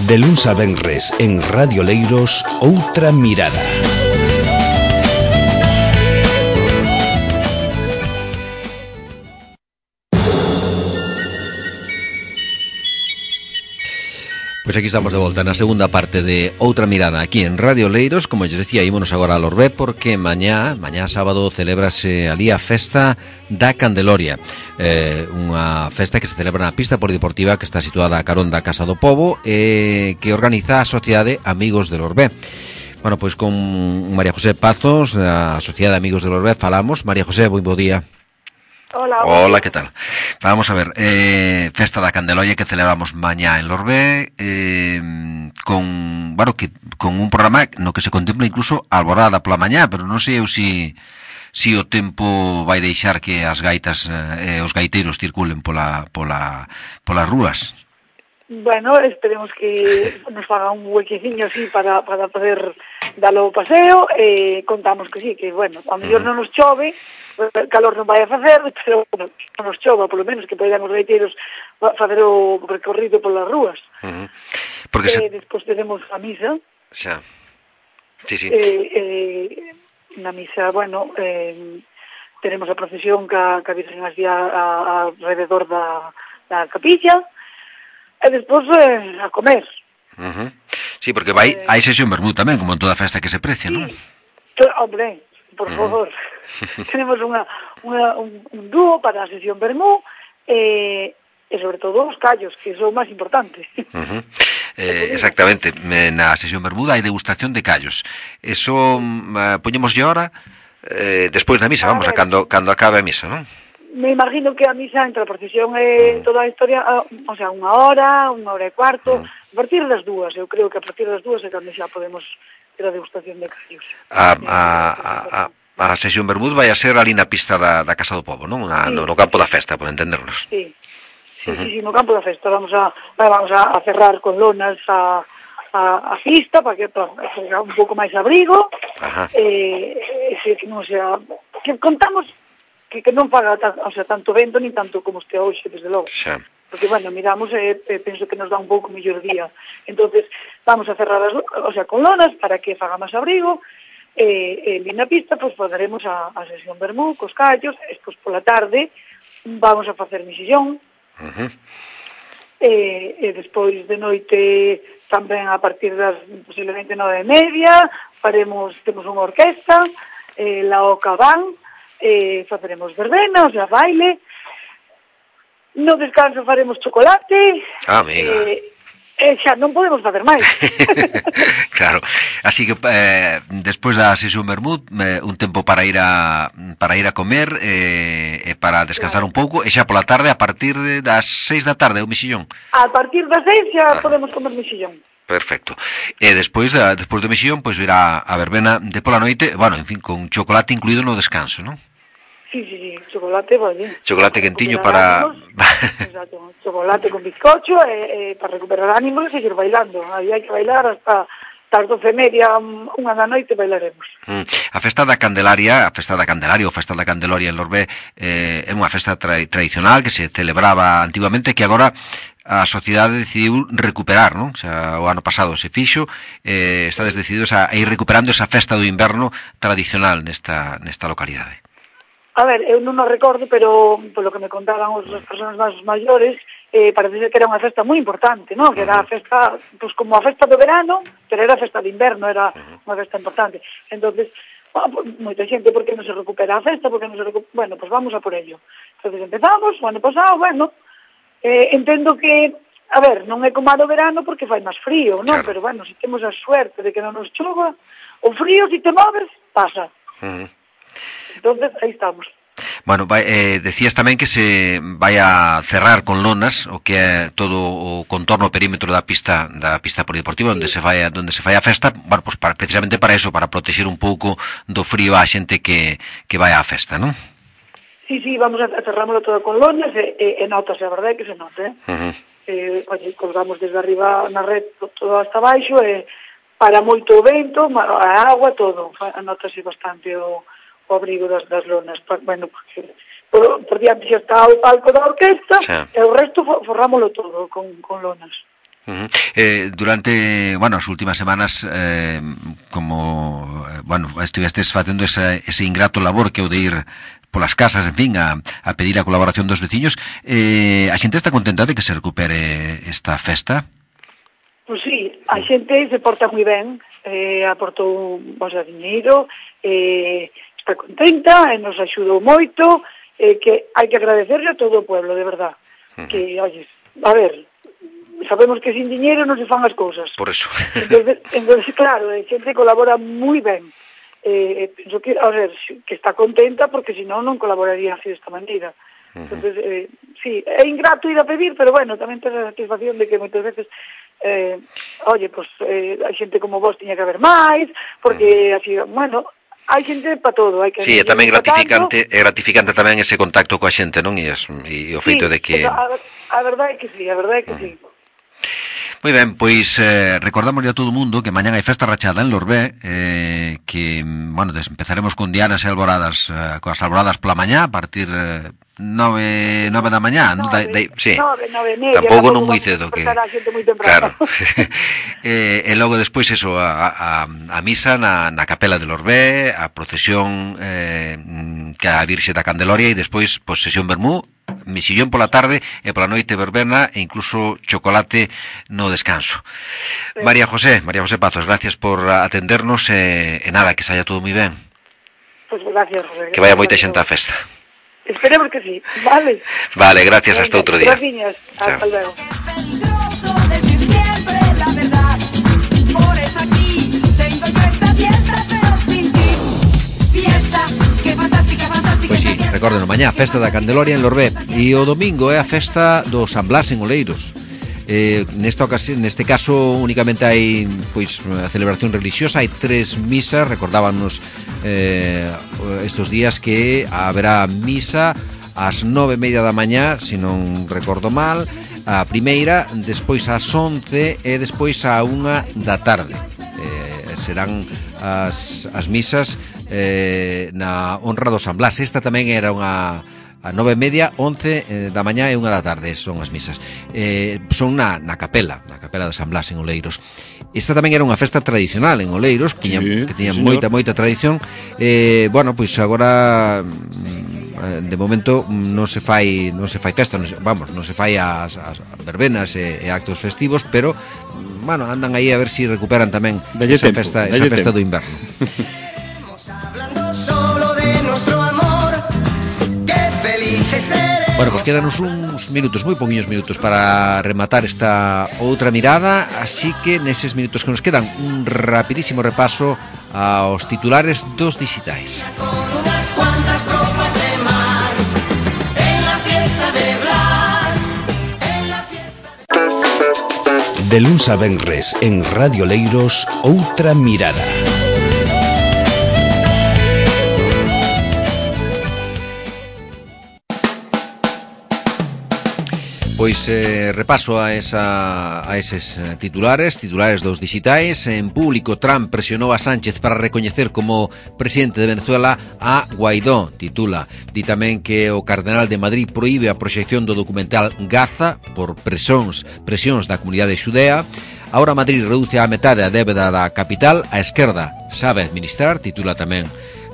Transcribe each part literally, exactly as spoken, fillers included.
De luns a venres en Radio Leiros, Outra Mirada. Pois aquí estamos de volta na segunda parte de Outra Mirada aquí en Radio Leiros. Como lles decía, ímonos agora a Lorbé porque mañá, mañá sábado, celébrase ali a festa da Candeloria, eh, unha festa que se celebra na pista polideportiva que está situada a carón da Casa do Pobo e eh, que organiza a Sociedade Amigos de Lorbé. Bueno, pois con María José Pazos, a Sociedade Amigos de Lorbé, falamos. María José, moi bo día. Hola, Hola, ¿qué tal? Vamos a ver, eh, Festa da Candeloria que celebramos mañá en Lorbé, eh, con, bueno, que, con un programa no que se contempla incluso alborada pola mañá, pero non sei eu si, si o tempo vai deixar que as gaitas e eh, os gaiteiros circulen pola, pola, polas rúas. Bueno, esperemos que nos faga un huequeciño así para, para poder darlo o paseo, eh, contamos que sí, que bueno, a mellor non nos chove, calor non vai a facer, pero bueno, non nos chova, polo menos que poidan os gaiteiros facer o recorrido polas rúas. Uh-huh. Porque eh, se... Despois tenemos a misa. Xa. Sí, sí. Eh, eh, na misa, bueno, eh, tenemos a procesión ca, ca Virgen así a, a, alrededor da, da capilla, e despois eh, a comer. Uh-huh. Sí, porque vai, eh, hai sesión vermú tamén, como en toda festa que se precia, sí, non? Hombre, por favor. Uh-huh. Tenemos unha, unha, un, un dúo para a sesión vermú eh, e sobre todo os callos, que son o máis importante. Uh-huh. Eh, exactamente, na sesión bermuda hai degustación de callos. Eso uh, poñémoslle ahora eh, despois da misa, a vamos, ver, a cando, cando acabe a misa, non? Me imagino que a misa entre a procesión e uh-huh. toda a historia, o sea, unha hora, unha hora e cuarto, uh-huh. a partir das dúas, eu creo que a partir das dúas é cando xa podemos ter a degustación de callos. A, a, a, a, a sesión bermud vai a ser ali na pista da, da Casa do Pobo, non? Na, sí. no, no campo da festa, por entendernos. Sí, sí, uh-huh. sí, sí, no campo da festa. Vamos a, vamos a cerrar con lonas a, a, a pista para que para un pouco máis abrigo. Ajá. Eh, eh, que non sea, que contamos que, que non faga tan, o sea, tanto vento ni tanto como este hoxe, desde logo. Xa. Porque, bueno, miramos e eh, penso que nos dá un pouco mellor día. Entonces vamos a cerrar as, o sea, con lonas para que faga máis abrigo. E eh, eh, na pista, pois, pues, poderemos a, a sesión vermú, cos callos, e pois, pola tarde vamos a facer misillón. Uh-huh. E, e despois de noite tamén a partir das posiblemente nove e media faremos, temos unha orquesta, eh, la Oca Van, eh, faceremos verbena, o sea, baile. No descanso faremos chocolate. Ah, amiga. Eh, eh, xa non podemos facer máis. Claro, así que eh, despois da sesión vermut, eh, un tempo para ir a para ir a comer e eh, para descansar claro. un pouco, e xa pola tarde a partir de, das seis da tarde o mexillón. A partir das seis xa ah. podemos comer mexillón. Perfecto. E despois da despois do mexillón, pois pues, irá a verbena de pola noite, bueno, en fin, con chocolate incluído no descanso, non? Sí, sí, sí, chocolate, vale. Chocolate quentiño para... Exacto, chocolate con bizcocho e, e para recuperar ánimos e seguir bailando. Aí hai que bailar hasta as doce e media, unha da noite bailaremos. Mm. A festa da Candelaria, a festa da Candelaria ou festa da Candeloria en Lorbé eh, é unha festa tra tradicional que se celebraba antiguamente, que agora a sociedade decidiu recuperar, non? O sea, o ano pasado se fixo, eh, estades decididos a ir recuperando esa festa do inverno tradicional nesta, nesta localidade. A ver, eu non o recordo, pero polo que me contaban os, as persoas máis maiores, eh, parece ser que era unha festa moi importante, non? Que era a festa, pues como a festa do verano, pero era a festa de inverno, era unha festa importante. Entonces, bueno, moita xente, por que non se recupera a festa? Porque non se recupera? Bueno, pues vamos a por ello. Entonces empezamos, o ano pasado, bueno, eh, entendo que, a ver, non é como a do verano porque fai máis frío, non? Claro. Pero bueno, se temos a suerte de que non nos chova, o frío, se te moves, pasa. Uh-huh. Entonces, aí estamos. Bueno, vai, eh, decías tamén que se vai a cerrar con lonas o que é todo o contorno, o perímetro da pista da pista polideportiva, sí. onde se vai a, onde se fai a festa, bueno, pues para, precisamente para eso, para protexer un pouco do frío á xente que, que vai á festa, non? Sí, sí, vamos a cerrámoslo todo con lonas e, e, e notase, a verdade é que se note, eh? Uh-huh. eh, oye, colgamos desde arriba na red todo hasta baixo e para moito o vento, a agua, todo, notase bastante o o abrigo das, das lonas, bueno, porque por, por diante xa está o palco da orquesta, sí. E o resto forrámoslo todo con, con lonas. Uh-huh. Eh, durante, bueno, as últimas semanas, eh, como, eh, bueno, estivestes facendo ese, ese ingrato labor que o de ir polas casas, en fin, a, a pedir a colaboración dos veciños, eh, a xente está contenta de que se recupere esta festa? Pois sí, a xente se porta moi ben, eh, aportou o sea, diñeiro, eh, está contenta, e nos axudou moito, eh, que hai que agradecerle a todo o pueblo, de verdad. Uh-huh. Que, oye, a ver, sabemos que sin diñeiro non se fan as cousas. Por eso. Entonces, entonces claro, a xente colabora moi ben. Eh, penso que, a ver, que está contenta porque senón non colaboraría así desta maneira. Uh-huh. Entonces, eh, sí, é ingrato ir a pedir, pero bueno, tamén ten a satisfacción de que moitas veces eh, oye, pues eh, hai xente como vos tiña que haber máis, porque uh-huh. así, bueno, hai xente para todo, hai que sí, é tamén gratificante, é gratificante tamén ese contacto coa xente, non? E, es, e o feito sí, de que a, a verdade é que sí, a verdade é que uh-huh. sí. Moi ben, pois eh, recordamos a todo o mundo que mañán hai festa rachada en Lorbé, eh, que, bueno, empezaremos con dianas e alboradas, eh, coas alboradas pola mañá, a partir eh, nove, nove da mañá, nove, no, da, da, sí. nove, nove, media, tampouco non moi cedo que claro. eh, e logo despois eso, a, a, a misa na, na capela de Lorbé, a procesión eh, que a Virxe da Candeloria, e despois pois, sesión vermú, misillón pola tarde e pola noite verbena e incluso chocolate no descanso. Sí. María José, María José Pazos, gracias por atendernos e, e nada, que saia todo moi ben. Pois pues gracias, José. Que vaya moita xente á festa. Esperemos que sí, vale. Vale, gracias, venga, hasta outro día. Gracias, hasta luego. Pois sí, recorden, mañá festa da Candeloria en Lorbé e o domingo é a festa do San Blas en Oleiros. Eh, nesta ocasión, neste caso únicamente hai pois a celebración religiosa, hai tres misas, recordábanos eh, estes días que haberá misa ás nove e media da mañá, se non recordo mal, a primeira, despois ás once e despois á unha da tarde. Eh, serán as, as misas Eh, na honra do San Blas. Esta tamén era unha a nove e media, once eh, da mañá e unha da tarde son as misas. Eh, son na, na capela, na capela de San Blas en Oleiros. Esta tamén era unha festa tradicional en Oleiros, que tiña, sí, que tiña sí, moita, moita tradición. Eh, bueno, pois agora de momento non se fai non se fai festa, non se, vamos, non se fai as, as verbenas e, e actos festivos, pero bueno, andan aí a ver si recuperan tamén dalle esa tempo, festa, esa festa tempo. Do inverno. Solo de nuestro amor, qué felices seremos. Bueno, pues quédanos uns minutos, moi poquinhos minutos para rematar esta outra mirada, así que neses minutos que nos quedan un rapidísimo repaso aos titulares dos dixitais. Con unas cuantas copas de más en la fiesta de Blas, en la fiesta de... De luns a venres en Radio Leiros, outra mirada. Pois eh, repaso a, esa, a eses titulares, titulares dos dixitais. En público, Trump presionou a Sánchez para recoñecer como presidente de Venezuela a Guaidó, titula. Di tamén que o Cardenal de Madrid proíbe a proxección do documental Gaza por presións, presións da comunidade xudea. Ahora Madrid reduce a metade a débeda da capital, a esquerda sabe administrar, titula tamén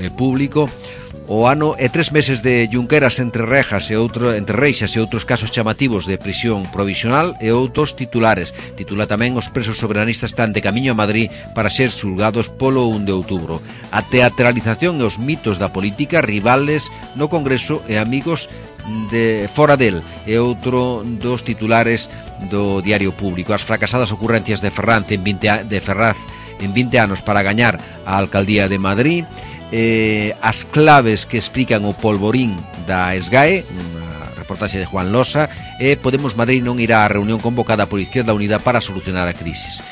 eh, público. O ano e tres meses de Junqueras entre rejas e outro, entre reixas e outros casos chamativos de prisión provisional e outros titulares. Titula tamén os presos soberanistas están de camiño a Madrid para ser xulgados polo un de outubro. A teatralización e os mitos da política, rivales no Congreso e amigos de fora del e outro dos titulares do Diario Público. As fracasadas ocurrencias de Ferraz en vinte, de Ferraz en vinte anos para gañar a alcaldía de Madrid. Eh, as claves que explican o polvorín da SGAE, unha reportaxe de Juan Losa, e Podemos Madrid non irá á reunión convocada por Izquierda Unida para solucionar a crisis.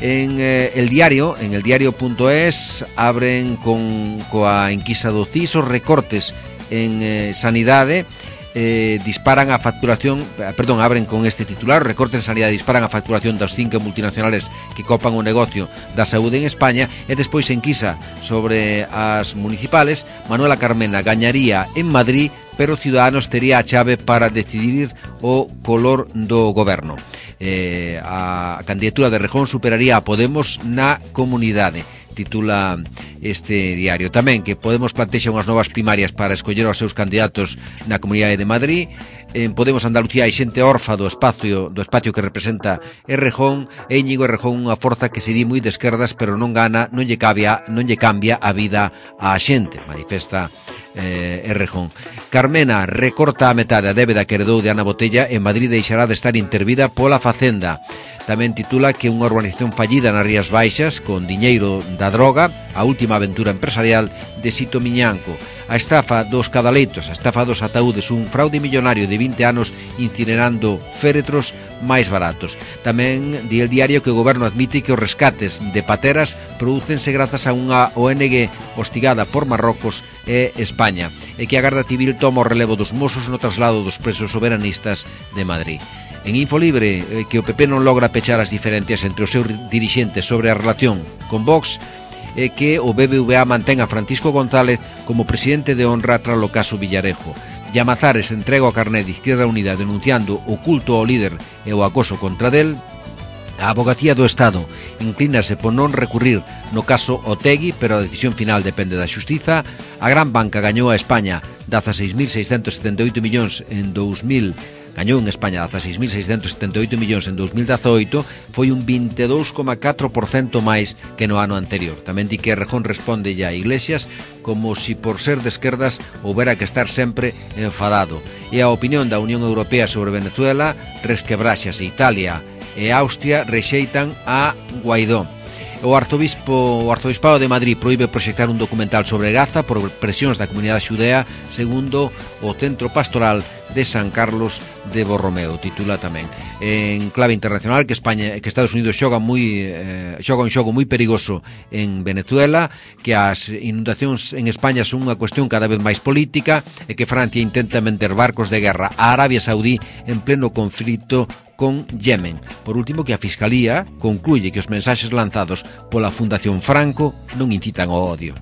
En eh, el diario, en el diario punto es, abren con coa enquisa do C I S os recortes en eh, sanidade. Eh, disparan a facturación, perdón, abren con este titular: recortes en sanidade disparan a facturación das cinco multinacionales que copan o negocio da saúde en España. E despois enquisa sobre as municipales. Manuela Carmena gañaría en Madrid, pero Ciudadanos tería a chave para decidir o color do goberno. eh, a candidatura de Errejón superaría a Podemos na comunidade, titula este diario. Tamén que Podemos plantexa unhas novas primarias para escoller os seus candidatos na Comunidade de Madrid. En Podemos Andalucía hai xente orfa do espacio do espacio que representa Errejón, e Íñigo Errejón unha forza que se di moi de esquerdas, pero non gana, non lle cambia, non lle cambia a vida á xente, manifesta eh, Errejón. Carmena recorta a metade a débeda que heredou de Ana Botella, en Madrid deixará de estar intervida pola Facenda. Tamén titula que unha urbanización fallida nas Rías Baixas con diñeiro da droga, a última aventura empresarial de Sito Miñanco. A estafa dos cadaleitos, a estafa dos ataúdes, un fraude millonario de vinte anos incinerando féretros máis baratos. Tamén di el diario que o goberno admite que os rescates de pateras prodúcense grazas a unha O N G hostigada por Marrocos e España, e que a Garda Civil toma o relevo dos Mossos no traslado dos presos soberanistas de Madrid. En Infolibre, eh, que o P P non logra pechar as diferencias entre os seus dirixentes sobre a relación con Vox, e que o B B V A mantén a Francisco González como presidente de honra tras o caso Villarejo. Llamazares entrega o carné de Izquierda Unida denunciando o culto ao líder e o acoso contra del. A Abogacía do Estado inclínase por non recurrir no caso Otegui, pero a decisión final depende da Xustiza. A Gran Banca gañou a España dezaseis mil seiscentos setenta e oito millóns en dous mil gañou en España dezaseis mil seiscentos setenta e oito millóns en dous mil dezoito, foi un vinte e dous coma catro por cento máis que no ano anterior. Tamén di que Errejón responde a Iglesias como si por ser de esquerdas houbera que estar sempre enfadado. E a opinión da Unión Europea sobre Venezuela resquebraxase. Italia e Austria rexeitan a Guaidó. O arzobispo, o arzobispado de Madrid proíbe proxectar un documental sobre Gaza por presións da comunidade xudea, segundo o Centro Pastoral de San Carlos de Borromeo, titula tamén. En clave internacional que España, que Estados Unidos xoga moi eh, xoga un xogo moi perigoso en Venezuela, que as inundacións en España son unha cuestión cada vez máis política, e que Francia intenta vender barcos de guerra a Arabia Saudí en pleno conflito con Yemen. Por último, que a Fiscalía concluye que os mensaxes lanzados pola Fundación Franco non incitan ao odio.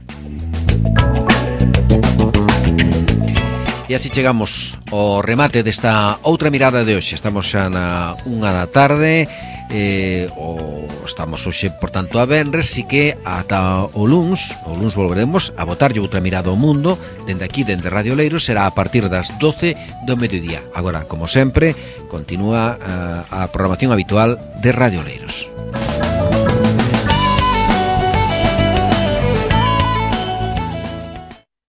E así chegamos ao remate desta outra mirada de hoxe. Estamos xa na unha da tarde, eh, o estamos hoxe, por tanto, a venres, así que ata o luns, o luns volveremos a botarlle outra mirada ao mundo, dende aquí, dende Radio Leiros, será a partir das doce do mediodía. Agora, como sempre, continúa uh, a programación habitual de Radio Leiros.